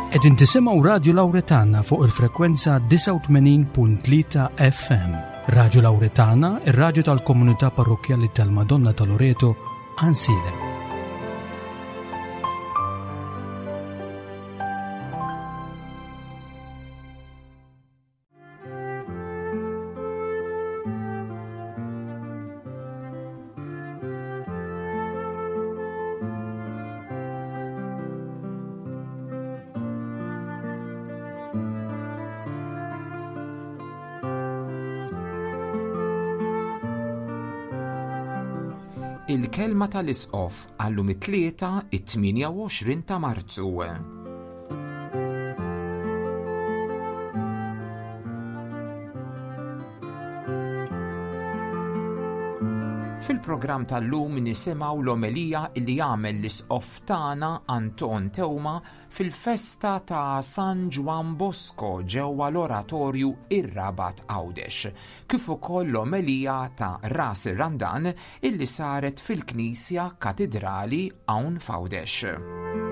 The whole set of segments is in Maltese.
Qegħdin tisimgħu Radju Lawretana fuq il-frekwenza 89.3 FM. Radju Lawretana, ir-radju tal-komunità parrokkjali tal-Madonna ta' Loreto, Ansiedem. Il-kelma tal-Isqof għallum it-Tlieta it-28 ta' Marzu. Fil-programm tal-lum nisimgħu l-omelija li għamel l-Isqof tagħna Anton Teuma fil-festa ta' San Ġwann Bosco ġewwa l-Oratorju Ir-Rabat Għawdex, kif ukoll l-omelija ta' Ras ir-Randan illi saret fil-Knisja Katidrali hawn f'Għawdex.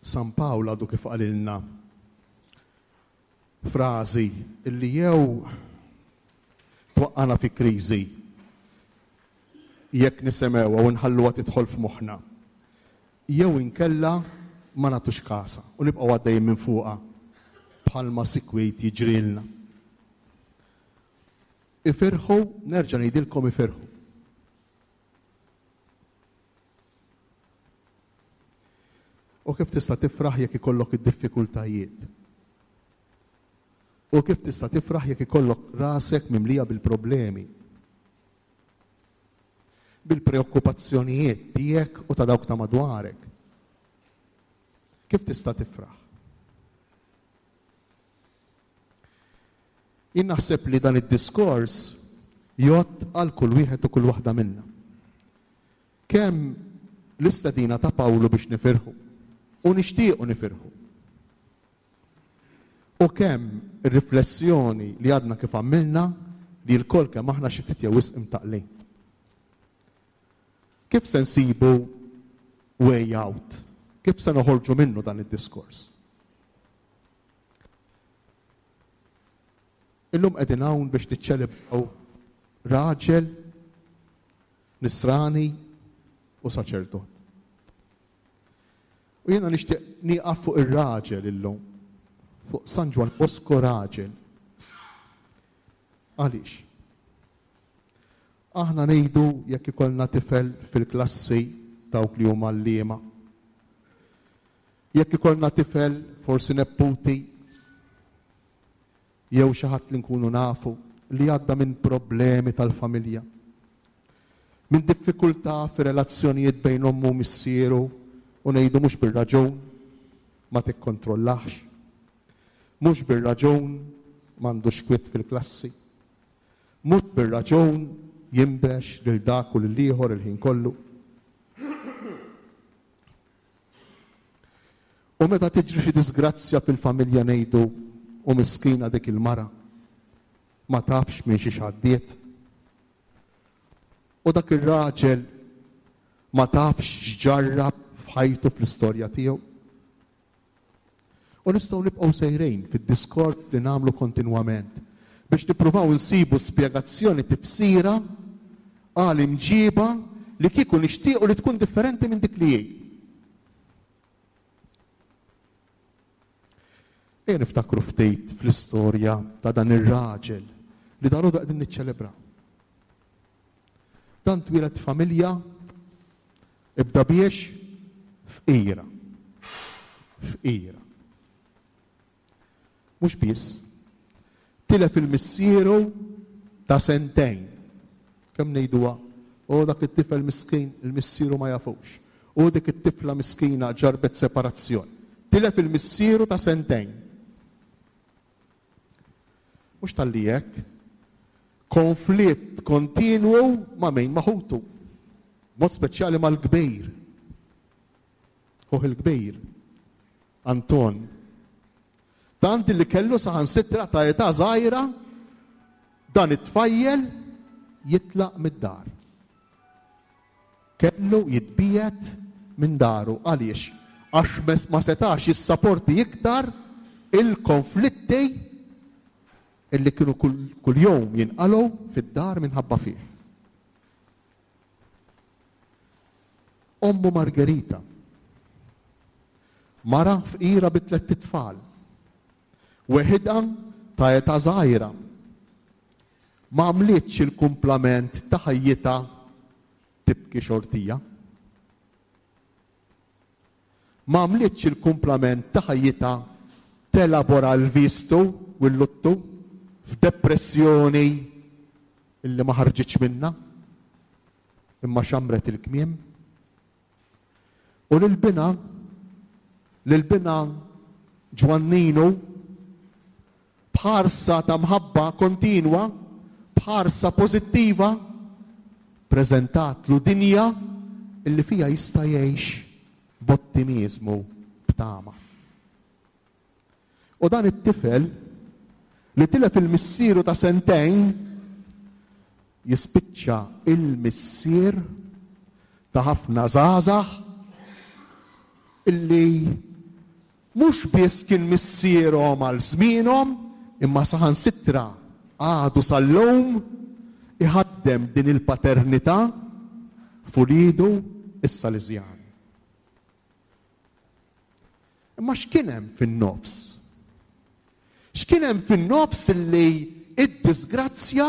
San Pawl għadu kif qalilna frażi illi jew twaqqana fi kriżi jekk nisemgħuha u nħalluha tidħol f'moħħna, jew inkella ma nagħtux kasha u nibqgħu għaddejjin minn fuqha bħalma sikwit jiġrilna. Ifirħu, nerġa' ngħidilkom ifirħu. U kif tista' tifraħ jekk ikollok id-diffikultajiet? U kif tista' tifraħ jekk ikollok rasek mimlija bil-problemi? Bil-preokkupazzjonijiet tiegħek u ta' dawk ta' madwarek. Kif tista' tifraħ? Jien naħseb li dan id-diskors jgħodd għal kull wieħed u kull waħda minna. Kemm l-istedina ta' Pawlu biex nifirħu u nixtiequ nifirħu. U kemm ir-riflessjoni li għadna kif għamilna li lkoll kemm aħna xi ftit jew wisq imtaqqlin. Kif se nsibu way out? Kif se noħorġu minnu dan id-diskors? Illum qegħdin hawn biex niċċelebraw raġel nisrani u saċerdot. U jiena nixtieq nieqaf fuq ir-raġel illum, fuq San Ġwann Bosco raġel. Għaliex? Aħna ngħidu jekk ikollna tifel fil-klassi dawk li huma għalliema. Jekk ikollna tifel, forsi nepputi, jew xi ħadd li nkunu nafu li għadda minn problemi tal-familja, minn diffikultà fir-relazzjonijiet bejn ommu u missieru u ngħidu mhux bir-raġun ma tikkontrollahx, mhux bir-raġun m'għandux kwiet fil-klassi, mhux bir-raġun jinbex lil dak u lill-ieħor il-ħin kollu. U meta tiġri xi diżgrazzja fil-familja ngħidu u miskina dik il-mara ma tafx minn xiex għaddiet. U dak ir-raġel ma tafx x'ġarrab f'ħajtu fl-istorja tiegħu. U nistgħu nibqgħu sejrin fid-diskors li nagħmlu kontinwament biex nippruvaw insibu spjegazzjoni tifsira għal imġiba li kieku nixtiequ li tkun differenti minn dik li hi. Ejja niftakru ftit fl-istorja ta' dan ir-raġel li dalgħodu qegħdin niċċelebraw. Dan twieled familja ibda biex fqira. Fqira. Mhux biss, tilef il-missieru ta' sentejn. Kemm ngħiduha, o dak it-tifel miskin, il-missieru ma jafux. U dik it-tifla miskina ġarrbet separazzjoni. Tilef il-missieru ta' sentejn. Mhux talli hekk, konflitt kontinwu ma' min? Ma' ħutu. Mod speċjali mal-kbir. Ħuh il-kbir. Anton. Tant li kellu saħansitra ta' età żgħira dan it-tfajjel jitlaq mid-dar. Kellu jitbiegħed minn daru. Għaliex? Għax ma setax jissaporti iktar il-konflitti illi kienu kuljum jinqalgħu fid-dar minħabba fih. Ommu Margherita, mara fqira bi tlett itfal, weħidha ta' età żgħira, ma għamlitx il-kumplament ta' ħajjitha tibki xortija. Ma għamlitx il-kumplament ta' ħajjitha telabora l-vistu u l-luttu f'depressjoni illi ma ħarġitx minnha, imma xammret il-kmiem. U lil binha, lil binha Ġwanninu, b'ħarsa ta' mħabba kontinwa, b'ħarsa pożittiva, preżentatlu dinja illi fiha jista' jgħix b'ottimiżmu, b'tama. U dan it-tifel li tilef il-missieru ta' sentejn jispiċċa il-missier ta' ħafna żgħażagħ illi mhux biss kien missierhom għal żmienhom imma saħansitra għadu sal-lum iħaddem din il-paternità f'uliedu s-Saliżjani. Imma x'kien hemm fin-nofs? X'kien hemm fin-nofs illi id-disgrazzja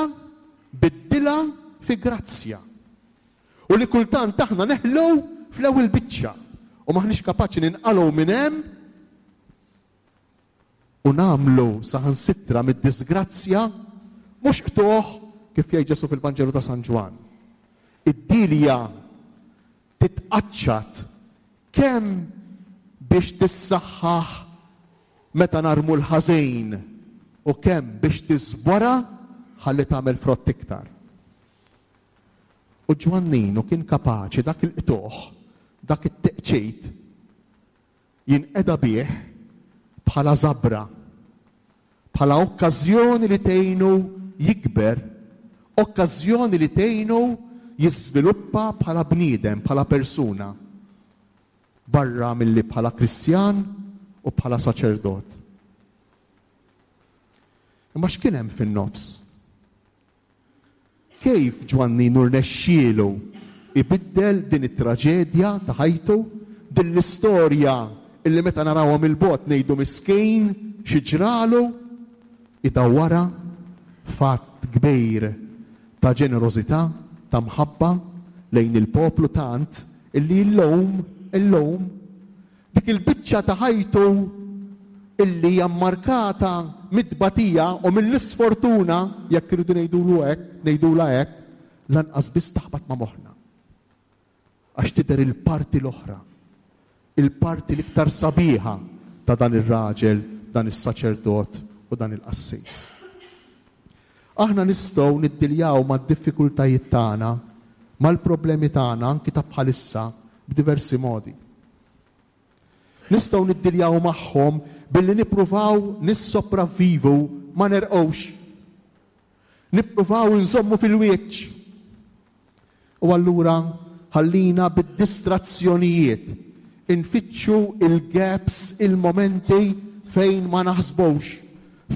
biddilha fi grazzja? U li kultant aħna neħlu fl-ewwel biċċa u m'aħniex kapaċi ninqalgħu minn hemm u nagħmlu saħansitra mid-disgrazzja mhux qtugħ kif jgħid Ġesù fil-Vanġelu ta' San Ġwann. Id-dilja titqaċċat kemm biex tissaħħaħ meta narmu l-ħażin u kemm biex tiżbora ħalli tagħmel frott iktar. U Ġwanninu kien kapaċi dak il-qtugħ, dak it-teqċit, jinqeda bih bħala żabra, bħala okkażjoni li tgħinu jikber, okkażjoni li tgħinu jiżviluppa bħala bniedem, bħala persuna, barra milli bħala Kristjan u bħala saċerdot. Imma x'kien hemm fin-nofs? Kif Ġwanninu rnexxielu jbiddel din it-traġedja ta' ħajtu, din l-istorja illi meta narawha mill-bogħod ngħidu miskin xi ġralu, idawwarha f'att kbir ta' ġenerożità, ta' mħabba lejn il-poplu tant illi llum, illum, Dik il-biċċa ta' ħajtu illi hija mmarkata mit-tbatija u mill-isfortuna, jekk irridu ngħidulu hekk, ngħidulha hekk, lanqas biss taħbat ma' moħħna. Għax tidher il-parti l-oħra, il-parti l-iktar sabiħa ta' dan ir-raġel, dan is-saċerdot u dan il-qassis. Aħna nistgħu niddiljaw mad-diffikultajiet tagħna, mal-problemi tagħna anki ta' bħalissa b'diversi modi. Nistgħu niddiljaw magħhom billi nippruvaw nissopravvivu ma nerqgħux. Nippruvaw inżommu fil-wiċċ. U allura ħallina bid-distrazzjonijiet infittxu il-gaps, il-momenti fejn ma naħsbux,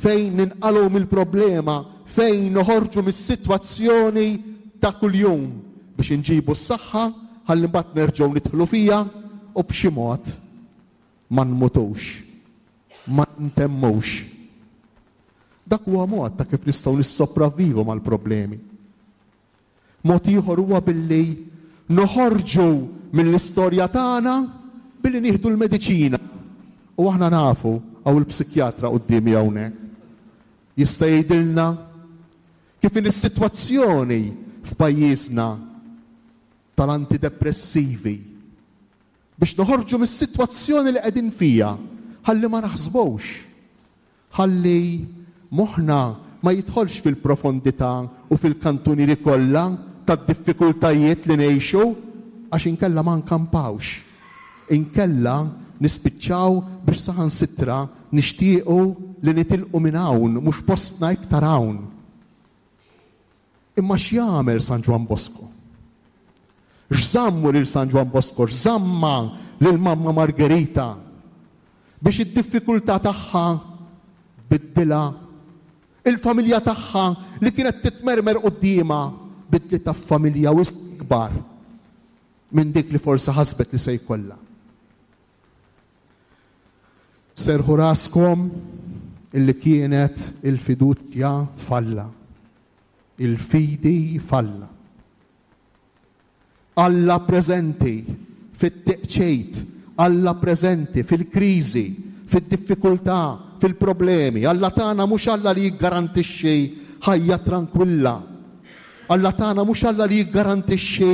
fejn ninqalgħu mill-problema, fejn noħorġu mis-sitwazzjoni ta' kuljum biex inġibu s-saħħa ħalli mbagħad nerġgħu nidħlu fiha u b'xi mod ma nmutux, ma ntemmux. Dak huwa mod ta' kif nistgħu nissopravvivu mal-problemi. Mod ieħor huwa billi noħorġu mill-istorja tagħna billi nieħdu l-mediċina. U aħna nafu, hawn il-psikjatra quddiemi hawnhekk. Jista' jgħidilna kif inhi s-sitwazzjoni f'pajjiżna tal-antidepressivi biex noħorġu mis-sitwazzjoni li qegħdin fiha ħalli ma naħsbux, ħalli moħħna ma jidħolx fil-profondità u fil-kantunieri kollha tad-diffikultajiet li ngħixu għax inkella ma nkampawx. Inkella nispiċċaw biex saħansitra nixtiequ li nitilqu minn hawn, mhux postna iktar hawn. Imma x'jagħmel San Ġwann Bosco? X'żammu lil San Ġwann Bosco, x'żamma lil Mamma Margherita biex id-diffikultà tagħha tbiddilha? Il-familja tagħha li kienet titmermer quddiemha bidlitha f'familja wisq ikbar minn dik li forsi ħasbet li se jkollha. Serrħu raskom illi kienet il-fiduċja f'Alla. Il-fidi f'Alla. Alla preżenti fit-teqċejt, Alla preżenti fil-kriżi, fid-diffikultà, fil-problemi. Alla tagħna mhux Alla li jiggarantixxi ħajja trankwilla. Alla tagħna mhux Alla li jiggarantixxi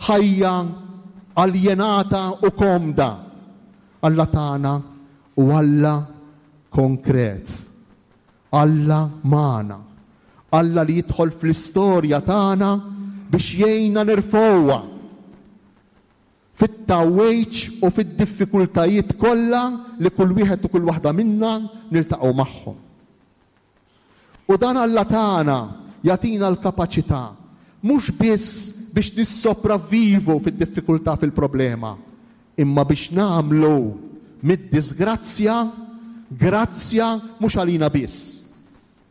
ħajja aljenata u komda. Alla tagħna hu Alla konkret. Alla magħna. Alla li jidħol fl-istorja tagħna biex jgħinna nirfgħuha fit-tgħawwiġ u fid-diffikultajiet kollha li kull wieħed u kull waħda minna niltaqgħu magħhom. U dan Alla tagħna jagħtina l-kapaċità mhux biss biex nissopravvivu fid-diffikultà fil-problema, imma biex nagħmlu mid-diżgrazzja grazzja mhux għalina biss,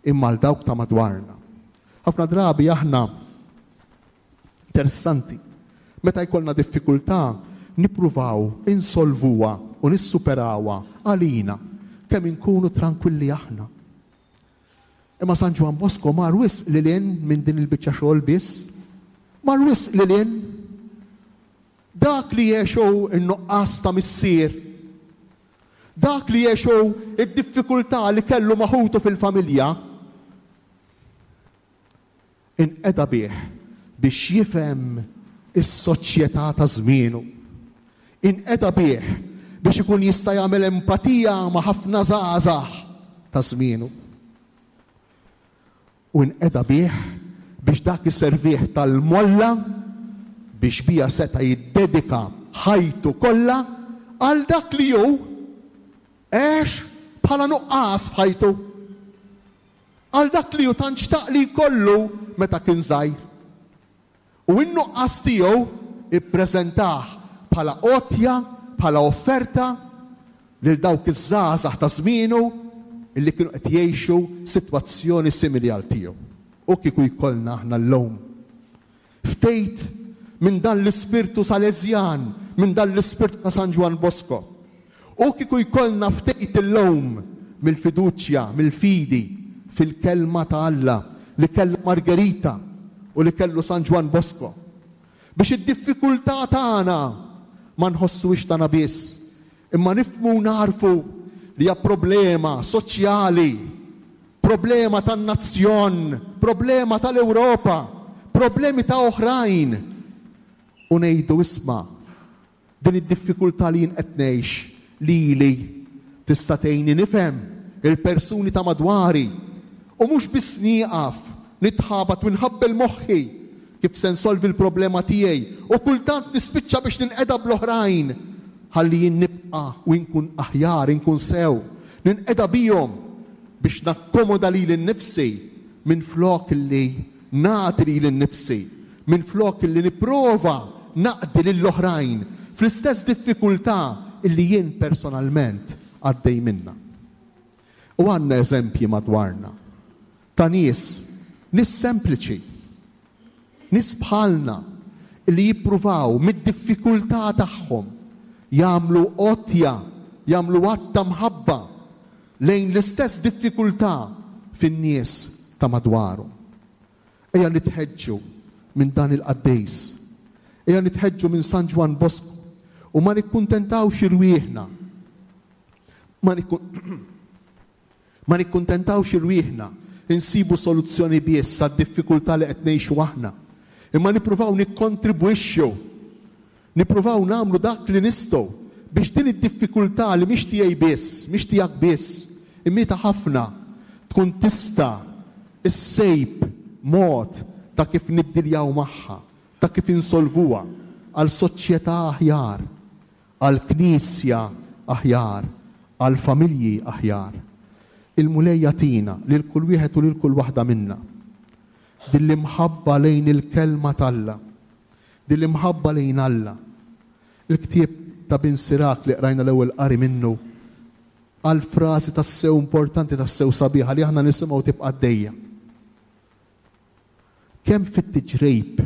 imma għal dawk ta' madwarna. Ħafna drabi aħna interessanti, meta jkollna diffikultà nippruvaw insolvuha u nissuperawha għalina kemm inkunu trankwilli aħna. Imma San Ġwann Bosco mar wisq lil hinn minn din il-biċċa xogħol biss. Mar wisq lil hinn. Dak li għex hu n-nuqqas ta' missier. Dak li għex hu d-diffikultà li kellu ma' ħutu fil-familja. Inqeda bih biex jifhem is-soċjetà ta' żmienu. Inqeda bih biex ikun jista' jagħmel empatija ma' ħafna żgħażagħ ta' żmienu. U inqeda bih biex dak iservih tal-molla biex biha seta' jiddedika ħajtu kollha għal dak li hu għex bħala nuqqas f'ħajtu. Għal dak li hu tant xtaq li jkollu meta kien żgħir. U n-nuqqas tiegħu ippreżentah bħala għotja, bħala offerta lil dawk iż-żgħażagħ ta' żmienu li kienu qed jgħixu sitwazzjoni simili għal tiegħu. U kieku jkollna aħna llum ftit minn dan l-ispirtu Salesjan, minn dan l-ispirtu ta' San Ġwann Bosco. U kieku jkollna ftit illum mill-fiduċja, mill-fidi fil-Kelma ta' Alla li kellha Margherita u li kellu San Ġwann Bosco. Biex id-diffikultà tagħna ma nħossuhiex tagħna biss, imma nifhmu u nagħrfu li hija problema soċjali, problema tan-nazzjon, problema tal-Ewropa, problemi ta' oħrajn. U ngħidu isma', din id-diffikultà li jien qed ngħix lili tista' tgħinni nifhem il-persuni ta' madwari u mhux biss nieqaf nitħabat u nħabbel moħħi kif se nsolvi l-problema tiegħi u kultant nispiċċa biex ninqeda bl-oħrajn ħalli jien nibqa' u inkun aħjar, inkun sew. Ninqeda bihom biex nakkomoda lili nnifsi minflok li nagħti lili nnifsi, minflok li nipprova naqdi lill-oħrajn fl-istess diffikultà li jien personalment għaddej minnha. U għandna eżempji madwarna ta' nies, nies sempliċi, nies bħalna li jippruvaw mid-diffikultà tagħhom jagħmlu għotja, jagħmlu att ta' mħabba lejn l-istess diffikultà fin-nies ta' madwarhom. Ejja nitħeġġu minn dan il-qaddis. Ejja nitħeġġu minn San Ġwann Bosco u ma nikkuntentawx irwieħna. Ma Ma nikkuntentawx irwieħna insibu soluzzjoni biss għad-diffikultà li qed ngħixu aħna, imma nippruvaw nikkontribwixxu, nippruvaw nagħmlu dak li nistgħu biex din id-diffikultà li mhix tiegħi biss, mhix tiegħek biss, imma hi ta' ħafna, tkun tista' ssib mod ta' kif niddiljaw magħha, ta' kif insolvuha għal soċjetà aħjar. Għal Knisja aħjar, għal familji aħjar. Il-Mulej jagħtina lil kull wieħed u lil kull waħda minna din l-imħabba lejn il-Kelma t'Alla, din l-imħabba lejn Alla. Il-ktieb ta' Bin Sirak li qrajna l-ewwel qari minnu qal frażi tassew importanti, tassew sabiħa li aħna nisimgħu tibqa' għaddejja. Kemm fit-tiġrib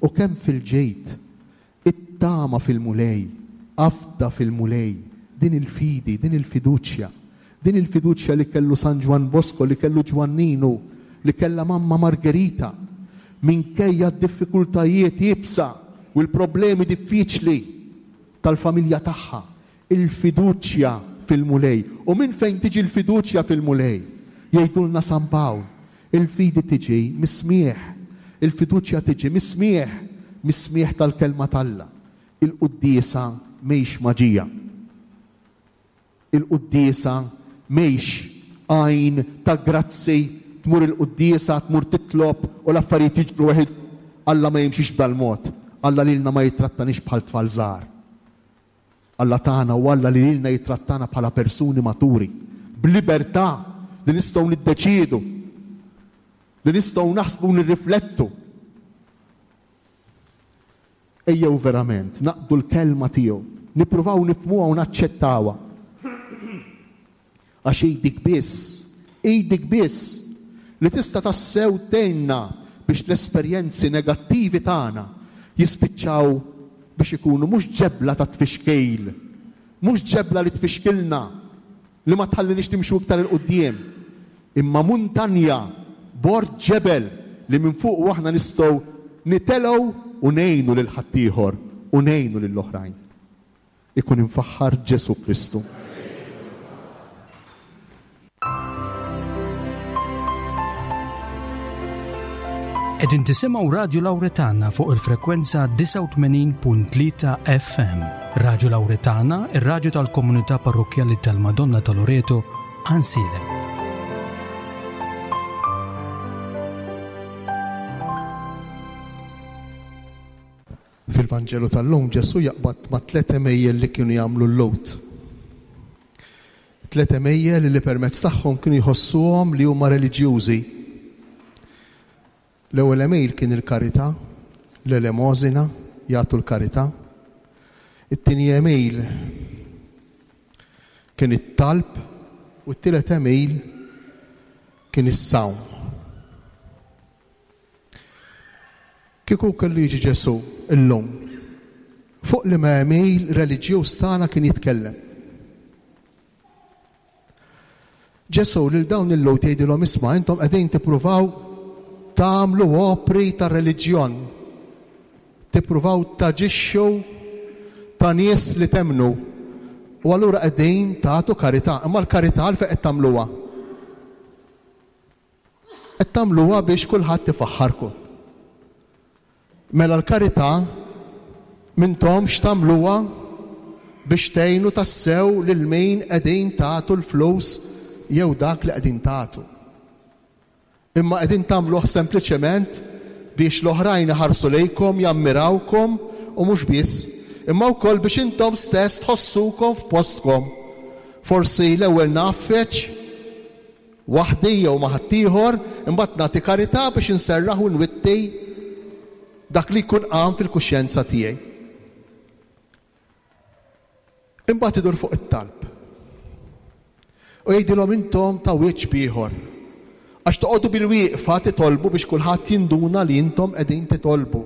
u kemm fil-ġid, ittama fil-Mulej, afda fil-Mulej, din il-fidi, din il-fiduċja, din il-fiduċja li kellu San Ġwann Bosco, li kellu Ġwanninu, li kellha Mamma Margherita, minkejja d-diffikultajiet iebsa u l-problemi diffiċli tal-familja tagħha, il-fiduċja fil-Mulej. U minn fejn tiġi l-fiduċja fil-Mulej? Jgħidulna San Pawl, il-fidi tiġi mis-smigħ. Il-fiduċja tiġi mis-smigħ, mis-smigħ tal-Kelma t'Alla. Il-quddiesa mhix maġija. Il-quddiesa mhix għajn ta' grazzi, tmur il-quddiesa, tmur titlob u l-affarijiet jiġru weħidhom. Alla ma jimxix b'dal-mod. Alla lilna ma jittrattaniex bħal tfal żgħar. Alla tagħna hu Alla li lilna jittrattana bħala persuni maturi, b'libertà li nistgħu niddeċiedu, li nistgħu naħsbu u nirriflettu. Ejjew verament naqbdu l-kelma tiegħu, nippruvaw nifhmuha u naċċettawha. Għax hi dik biss, hi dik biss li tista' tassew tgħinna biex l-esperjenzi negattivi tagħna jispiċċaw biex ikunu mhux ġebla ta' tfixkil, mhux ġebla li tfixkilna, li ma tħalliniex nimxu iktar 'il quddiem, imma muntanja, bord ġebel li minn fuqu aħna nistgħu nitelgħu u ngħinu lil ħaddieħor u ngħinu lill-oħrajn. Ikun imfaħħar Ġesù Kristu. Qegħdin tisimgħu Radju Lawretana fuq il-frekwenza 89.3 FM. Radju Lawretana, ir-radju tal-komunità parrokkjali tal-Madonna ta' Loreto, Għansielem. Fil-Vanġelu tal-lum Ġesù jaqbad ma' tlett għemejjel li kienu jagħmlu l-Lhud. Tlett għemejjel li permezz tagħhom kienu jħossuhom li huma reliġjużi. L-ewwel għemil kien il-karità, l-elemosina, jagħtu l-karità. It-tieni għemil kien it-talb u t-tielet għemil kien is-sawm. Kieku kellu jiġi Ġesù llum, fuq liema għemil reliġjuż tagħna kien jitkellem? Ġesù lil dawn il-Lhud jgħidilhom isma' intom qegħdin tippruvaw tagħmlu opri ta' reliġjon. Tippruvaw taġixxu ta' nies li temmnu. U allura qegħdin tagħtu karità. Imma l-karità għalfejn qed tagħmluha? Qed tagħmluha biex kulħadd ifaħħarkom. Mela l-karità m'intomx tagħmluha biex tgħinu tassew lil min qegħdin tagħtu l-flus jew dak li qegħdin tagħtu. Imma qegħdin tagħmluh sempliċement biex l-oħrajn iħarsu lejkom, jammirawkom u mhux biss, imma wkoll biex intom stess tħossukom f'postkom. Forsi l-ewwel ngħaffeġ waħdi jew ma' ħaddieħor, imbagħad nagħti karità biex inserraħ u nwitti dak li jkun qam fil-kuxjenza tiegħi. Imbagħad idur fuq it-talb. U jgħidilhom intom ta' wiċċ b'ieħor. Għax toqogħdu bilwieqfa titolbu biex kulħadd jinduna li intom qegħdin titolbu.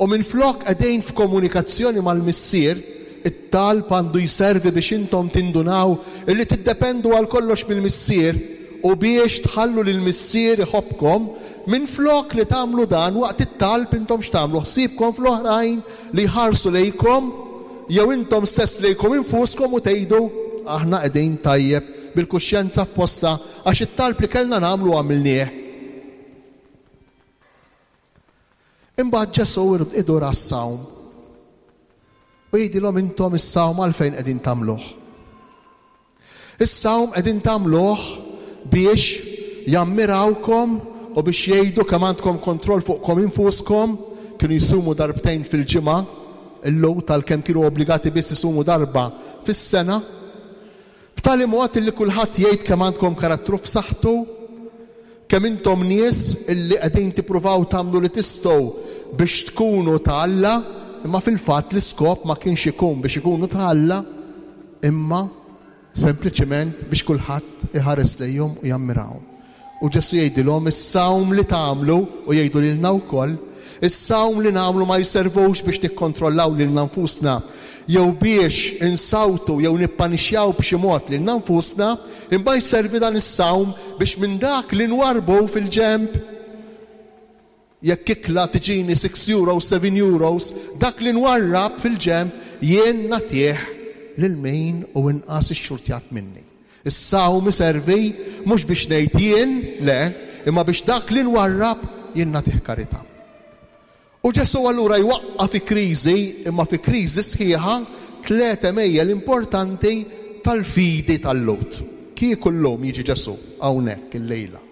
U minflok qegħdin f'komunikazzjoni mal-Missier, it-talb għandu jservi biex intom tindunaw illi tiddependu għal kollox mill-Missier u biex tħallu lill-Missier iħobbkom, minflok li tagħmlu dan waqt it-talb intom x'tagħmlu? Ħsiebkom fl-oħrajn li jħarsu lejkom jew intom stess lejkom infuskom u tgħidu, Aħna qegħdin tajjeb bil-kuxjenza f'postha għax it-talb li kellna nagħmlu għamilnieh. Imbagħad Ġesù idur għas-sawm u jgħidilhom intom is-sawm għalfejn qegħdin tagħmluh? Is-sawm qegħdin tagħmluh biex jammirawkom u biex jgħidu kemm għandkom kontroll fuqkom infuskom, kienu jsumu darbtejn fil-ġimgħa, illum tal-kemm kienu obbligati biss isumu darba fis-sena. B'tali mod illi kulħadd jgħid kemm għandkom karattru f'saħħtu, kemm intom nies illi qegħdin tippruvaw tagħmlu li tistgħu biex tkunu ta' Alla, imma fil-fatt l-iskop ma kienx ikun biex ikunu ta' Alla, imma sempliċement biex kulħadd iħares lejhom u jammirahom. U Ġesù jgħidilhom, Is-sawm li tagħmlu, u jgħidu lilna wkoll, is-sawm li nagħmlu ma jservux biex nikkontrollaw lilna nfusna, jew biex insawtu jew nippanixxjaw b'xi mod lilna nfusna, imma jservi dan is-sawm biex minn dak li nwarrbu fil-ġenb, Jekk ikla tiġini six euros, seven euros, dak li nwarrab fil-ġenb jien nagħtih lil min hu inqas ixxurtjat minni. Is-sawm iservi mhux biex ngħid jien, le, imma biex dak li nwarrab jien nagħtih karità. U Ġesù allura jwaqqa' fi kriżi, imma fi kriżi sħiħa, tlett għemejjel importanti tal-fidi tal-Lhud. Kieku llum jiġi Ġesù hawnhekk illejla.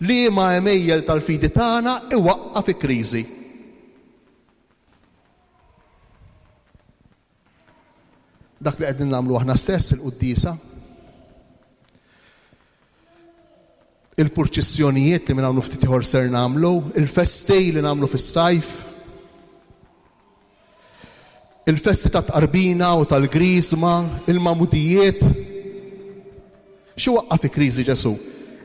Liema għemejjel tal-fidi tagħna iwaqqa' fi kriżi? Dak li qegħdin nagħmlu aħna stess, il-quddiesa, il-purċissjonijiet li minn hawn ftit ieħor ser nagħmlu, il-festi li nagħmlu fis-sajf, Il-festi tat-tqarbina u tal-griżma, il-magħmudijiet. Xi waqqa' fi kriżi Ġesù?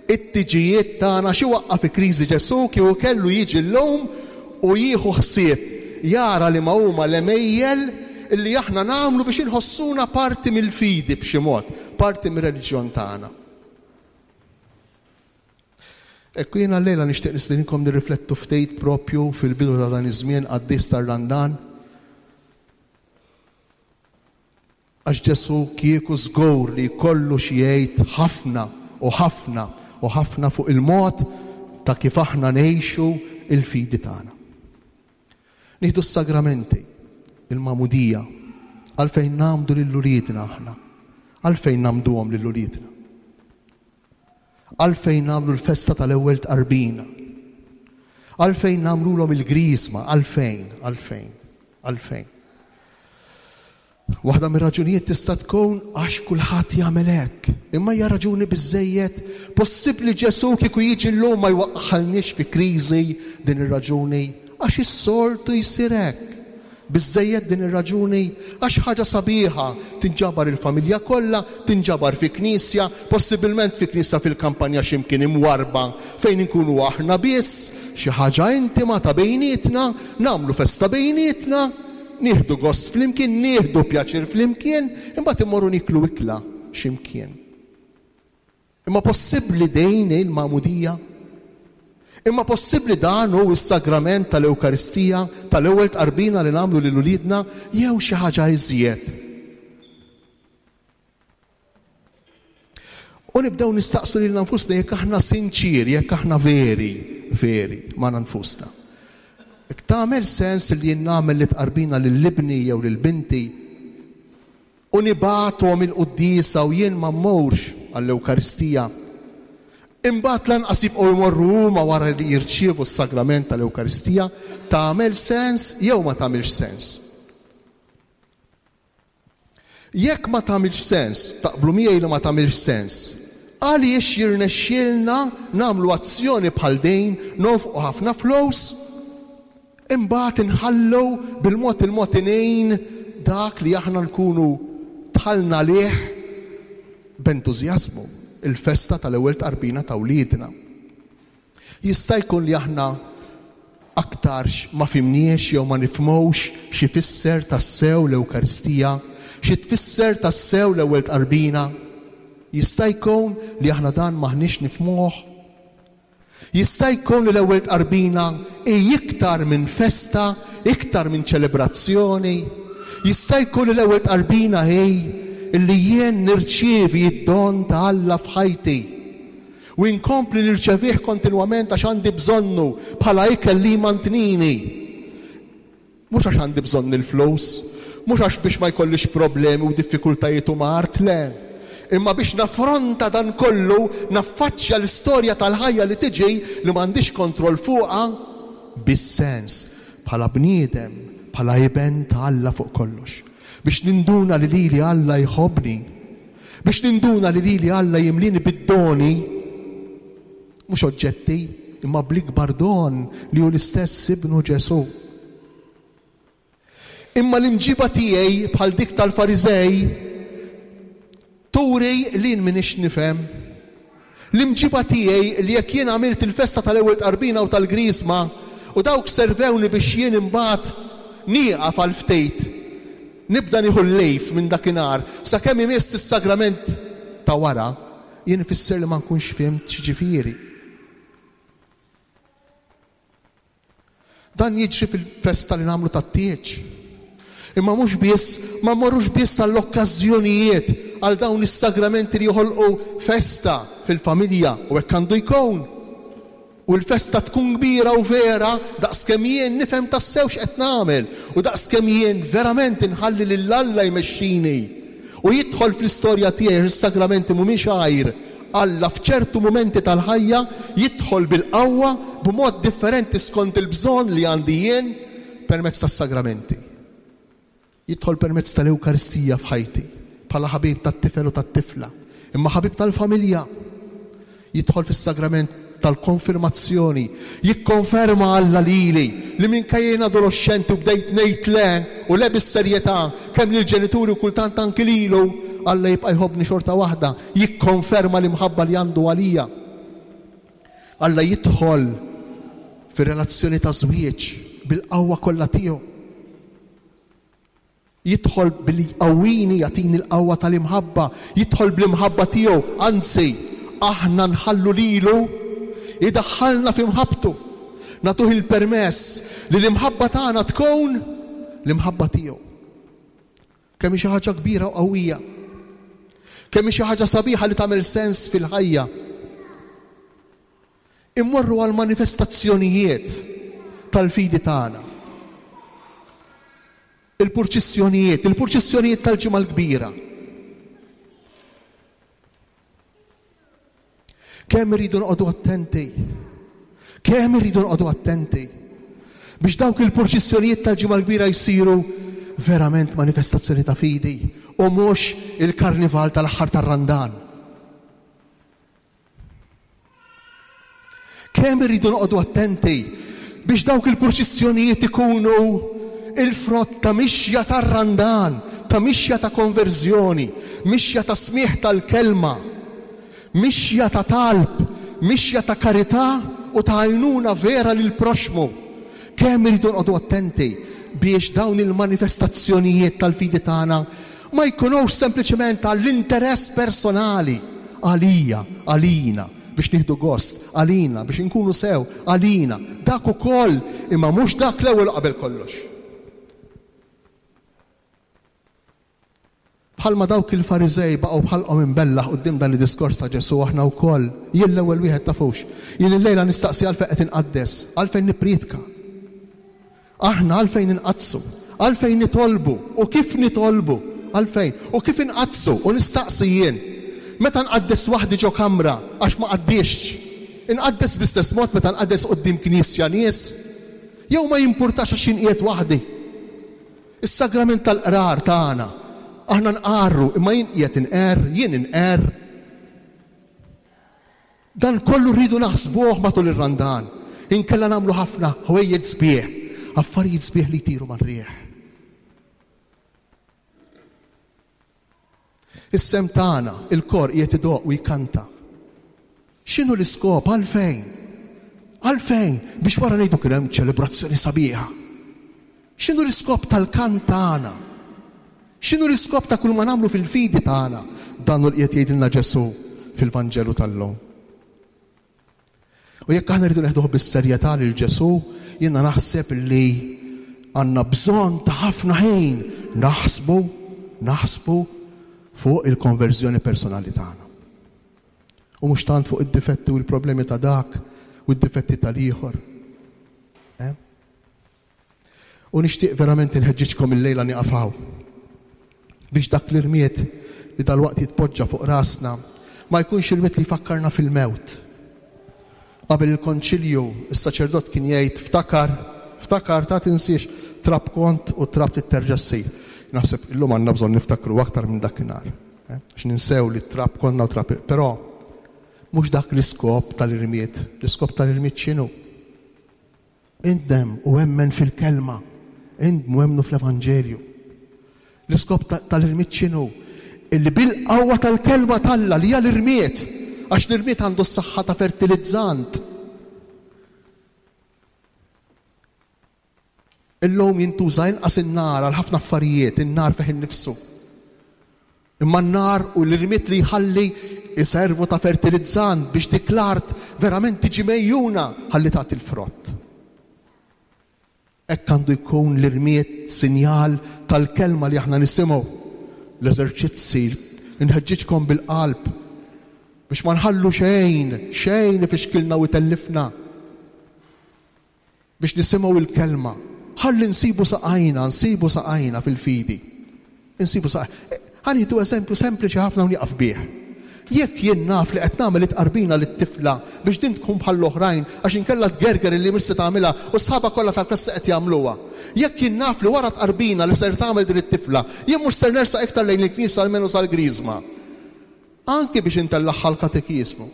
It-tiġijiet tagħna xi waqqa' fi kriżi Ġesù kieku kellu jiġi llum u jieħu ħsieb jara liema huma l-għemejjel li aħna nagħmlu biex inħossuna parti mill-fidi b'xi mod, parti mir-reliġjon tagħna. Ekku jiena llejla nixtieq nistedinkom nirriflettu ftit propju fil-bidu ta' dan iż-żmien qaddis tar-Randan. Għax Ġesù kieku żgur li jkollu xi jgħid ħafna u ħafna u ħafna fuq il-mod ta' kif aħna ngħixu il-fidi tagħna. Nieħdu s-sagramenti, il-magħmudija, għalfejn nagħmdu lil uliedna aħna, għalfejn nagħmduhom lil uliedna. Għalfejn nagħmlu l-festa tal-ewwel tqarbina? Għalfejn nagħmlulhom il-griżma? Għalfejn? Għalfejn? Għalfejn? Waħda mir-raġunijiet tista' tkun għax kulħadd jagħmel hekk. Imma hija raġuni biżejjed? Possibbli Ġesù kieku jiġi llum ma jwaqqħalniex fi kriżi din ir-raġuni? Għax is-soltu jsir hekk. Biżżejjed din ir-raġuni? Għax ħaġa sabiħa, tinġabar il-familja kollha, tinġabar fi knisja, possibilment fi knisja fil-kampanja xi mkien imwarrba fejn inkunu aħna biss, xi ħaġa intima ta' bejnietna, nagħmlu festa bejnietna, nieħdu gost flimkien, nieħdu pjaċir flimkien, imbagħad immorru nieklu ikla xi mkien. Imma possibbli din hi l-magħmudija? Imma possibbli dan hu s-sagrament tal-Ewkaristija, tal-ewwel tqarbina li nagħmlu lil uliedna, jew xi ħaġa iżjed? U nibdew nistaqsu lilna nfusna jekk aħna sinċieri, jekk aħna veri, veri magħna nfusna. Jekk tagħmel sens li jien nagħmel li tqarbina lil ibni jew lil binti U nibgħathom il-quddiesa u jien ma mmurx għall-Ewkaristija. Imbagħad lanqas jibqgħu jmorru huma wara li jirċievu s-sagrament tal-Ewkaristija, tagħmel sens jew ma tagħmilx sens? Jekk ma tagħmilx sens, taqblu miegħi li ma tagħmilx sens, għaliex jirnexxielna nagħmlu azzjoni bħal din, nonfqu ħafna flus, Imbagħad inħallu bil-mod il-mod ingħin dak li aħna nkunu dħalna għalih b'entużjażmu, il-festa tal-ewwel tqarbina ta' wliedna. Jista' jkun li aħna aktarx ma fhimniex jew ma nifhmux x'ifisser tassew l-Ewkaristija, xi tfisser tassew l-ewwel tqarbina. Jista' jkun li aħna dan m'aħniex nifhmuh. Jista' jkun li l-Ewwel Tqarbina hi iktar minn festa, iktar minn ċelebrazzjoni. Jista' jkun li l-Ewwel Tqarbina hi li jien nirċievi d-don ta' Alla f'ħajti u nkompli nirċevih kontinwament għax għandi bżonnu bħala ikel li jmantnini. Mhux għax għandi bżonn il-flus, mhux għax biex ma jkollix problemi u diffikultajiet u mard, le. Imma biex naffronta dan kollu, naffaċċja l-istorja tal-ħajja li tiġi li m'għandix kontroll fuqha, bis-sens, bħala bniedem, bħala iben ta' Alla fuq kollox. Biex ninduna li lili Alla jħobbni. Biex ninduna li lili Alla jimlini bid-doni, mhux oġġetti, imma bl-ikbar don li hu l-istess Ibnu Ġesù. Imma l-imġiba tiegħi bħal dik tal-Fariżej turi li jien m'iniex nifhem. L-imġiba tiegħi li jekk jien għamilt il-festa tal-Ewwel Tqarbina u tal-Griżma u dawk servewni biex jien imbagħad nieqaf għal ftit, nibda nieħu l-lejf minn dakinhar sakemm imiss is-sagrament ta' wara, jien ifisser li ma nkunx fhimt x'jiġifieri. Dan jiġri fil-festa li nagħmlu tat-tieġ. Imma mhux biss, ma mmorrux biss għall-okkażjonijiet, għal dawn is-sagramenti li joħolqu festa fil-familja, u hekk għandu jkun. U l-festa tkun kbira u vera daqskemm jien nifhem tassew x'qed nagħmel u daqskemm jien verament inħalli lil Alla jmexxini u jidħol fl-istorja tiegħi għax is-sagramenti mhumiex għajr Alla f'ċertu mumenti tal-ħajja jidħol bil-qawwa b'mod differenti skont il-bżonn li għandi jien permezz tas-sagramenti. Jidħol permezz tal-Ewkaristija f'ħajti bħala ħabib tat-tifel u tat-tifla, imma ħabib tal-familja. Jidħol fis-sagrament tal-konfirmazzjoni, jikkonferma Alla lili li minkejja jien adoloxxenti u bdejt ngħid le u le bis-serjetà kemm lill-ġenituri u kultant anki lilu, Alla jibqa' jħobbni xorta waħda, jikkonferma l-imħabba li għandu għalija. Alla jidħol fir-relazzjoni ta' żwieġ bil-qawwa kollha tiegħu. Jidħol billi jqawwini, jagħtini l-qawwa tal-imħabba, jidħol bl-imħabba tiegħu, anzi, aħna nħallu lilu jdaħħalna fi mħabbtu. Nagħtuh il-permess li l-imħabba tagħna tkun l-imħabba tiegħu. Kemm hi xi ħaġa kbira u qawwija. Kemm hi xi ħaġa sabiħa li tagħmel sens fil-ħajja. Immorru għall-manifestazzjonijiet tal-fidi tagħna. Il-purċissjonijiet, il-purċissjonijiet tal-Ġimgħa l-Kbira. Kemm irridu noqogħdu attenti. Kemm irridu noqogħdu attenti biex dawk il-purċissjonijiet tal-Ġimgħa l-Kbira jsiru verament manifestazzjoni ta' fidi u mhux il-karnival tal-aħħar tar-Randan. Kemm irridu noqogħdu attenti biex dawk il-purċissjonijiet ikunu il-frott ta' mixja tar-Randan, ta' mixja ta' konverżjoni, mixja ta' smigħ tal-kelma, mixja ta' talb, mixja ta' karità u ta' għajnuna vera lill-proxxmu. Kemm irridu noqogħdu attenti biex dawn il-manifestazzjonijiet tal-fidi tagħna ma jkunux sempliċement għall-interess personali, għalija, għalina, biex nieħdu gost, għalina, biex inkunu sew, għalina. Dak ukoll, imma mhux dak l-ewwel u qabel kollox. Bħalma dawk il-Fariżej baqgħu b'ħalqhom imbellaħ quddiem dan id-diskors ta' Ġesù, aħna wkoll, jien l-ewwel wieħed tafux, jien illejla nistaqsi għalfejn qed inqaddes, għalfejn nipprietka. Aħna għalfejn inqaddsu? Għalfejn nitolbu? U kif nitolbu? Għalfejn? U kif inqaddsu? U nistaqsi jien, meta nqaddes waħdi ġo kamra għax ma qaddistx, inqaddes bl-istess mod meta nqaddes quddiem knisja nies? Jew ma jimpurtax għax jien qiegħed waħdi? Is-sagrament tal-qrar tagħna, aħna nqarru, imma jien qiegħed inqerr, jien inqerr. Dan kollu rridu naħsbuh matul ir-Randan, inkella nagħmlu ħafna ħwejjeġ sbieħ, affarijiet sbieħ li jtiru mar-riħ. Is-sehem tagħna, il-kor qiegħed idoqq u jkanta. X'inhu l-iskop? Għalfejn? Għalfejn? Biex wara ngħidu kien hemm ċelebrazzjoni sabiħa. X'inhu l-iskop tal-kant tagħna? X'inhu l-iskop ta' kull ma nagħmlu fil-fidi tagħna? Dan hu li qiegħed jgħidilna Ġesù fil-Vanġelu tal-lum. U jekk aħna rridu neħduh bis-serjetà lil Ġesù, jiena naħseb li għandna bżonn ta' ħafna ħin naħsbu, naħsbu fuq il-konverżjoni personali tagħna. U mhux tant fuq id-difetti u l-problemi ta' dak u d-difetti tal-ieħor. Eh? U nixtieq verament inħeġġiġkom illejla nieqaf hawn biex dak l-irmied li dalwaqt jitpoġġa fuq rasna ma jkunx irmied li jfakkarna fil-mewt. Qabel il-konċilju, is-saċerdot kien jgħid ftakar, ftakar ta' tinsiex trab kont u trab titterġa' ssir. Naħseb illum għandna bżonn niftakru aktar minn dakinhar. Eh? Għax ninsew li trab konna u trab, però mhux dak l-iskop tal-irmied. L-iskop tal-irmied x'inhu? Indem u emmen fil-kelma, indmu emmnu fl-Evanġelju. L-iskop tal-irmied x'inhu? Illi bil-qawwa tal-kelma t'Alla li hija l-irmied, għax l-irmied għandu s-saħħa ta' fertilizzant. Illum jintuża inqas in-nar għal ħafna affarijiet, in-nar fih innifsu. Imma n-nar u l-irmied li jħalli iservu ta' fertilizzant biex dik l-art verament tiġi megħjuna ħalli tagħti l-frott. Hekk għandu jkun l-irmied sinjal tal-kelma li aħna nisimgħu. L-eżerċizzi, inħeġġiġkom bil-qalb biex ma nħallu xejn, xejn ifixkilna u jtellifna. Biex nisimgħu l-kelma. Ħalli nsibu saqajna, nsibu saqajna fil-fidi. Insibu saqajna. Ħa nieħdu eżempju sempliċi ħafna u nieqaf bih. Jekk jien naf li qed nagħmel it-tqarbina lit-tifla biex din tkun bħall-oħrajn għax inkella tgerger illi mhux se tagħmilha u sħabha kollha tal-klassi qed jagħmluha. Jekk jien naf li wara t-tqarbina li ser tagħmel din it-tifla, jien mhux ser nersaq iktar lejn il-knisja almenu sal-Griżma. Anki biex intellagħha l-katekiżmu.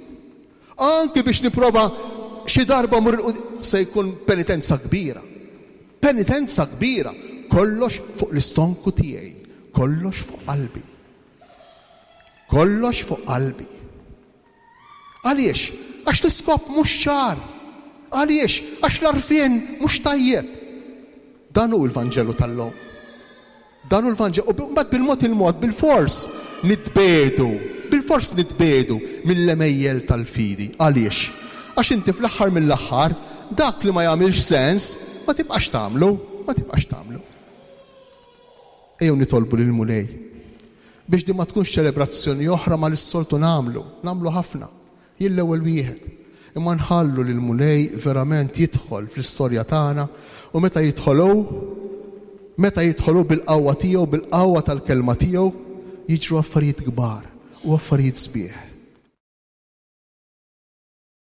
Anki biex nipprova xi darba mmur il-qudiem. Se jkun penitenza kbira. Penitenza kbira. Kollox fuq l-istonku tiegħi. Kollox fuq qalbi. Kollox fuq qalbi. Għaliex? Għax l-iskop mhux ċar. Għaliex? Għax l-għarfien mhux tajjeb. Dan hu l-Vanġelu tal-lum. Dan hu l-Vanġelu. U mbagħad bil-mod il-mod, bilfors nitbiegħdu, bilfors nitbiegħdu mill-għemejjel tal-fidi. Għaliex? Għax inti fl-aħħar mill-aħħar dak li ma jagħmilx sens ma tibqax tagħmlu, ma tibqax tagħmlu. Ejjew nitolbu lill-Mulej biex din ma tkunx ċelebrazzjoni oħra ma li s-soltu nagħmlu, nagħmlu ħafna. Jien l-ewwel wieħed. Imma nħallu lill-Mulej verament jidħol fl-istorja tagħna u meta jidħol hu, meta jidħol hu bil-qawwa tiegħu, bil-qawwa tal-kelma tiegħu, jiġru affarijiet kbar u affarijiet sbieħ.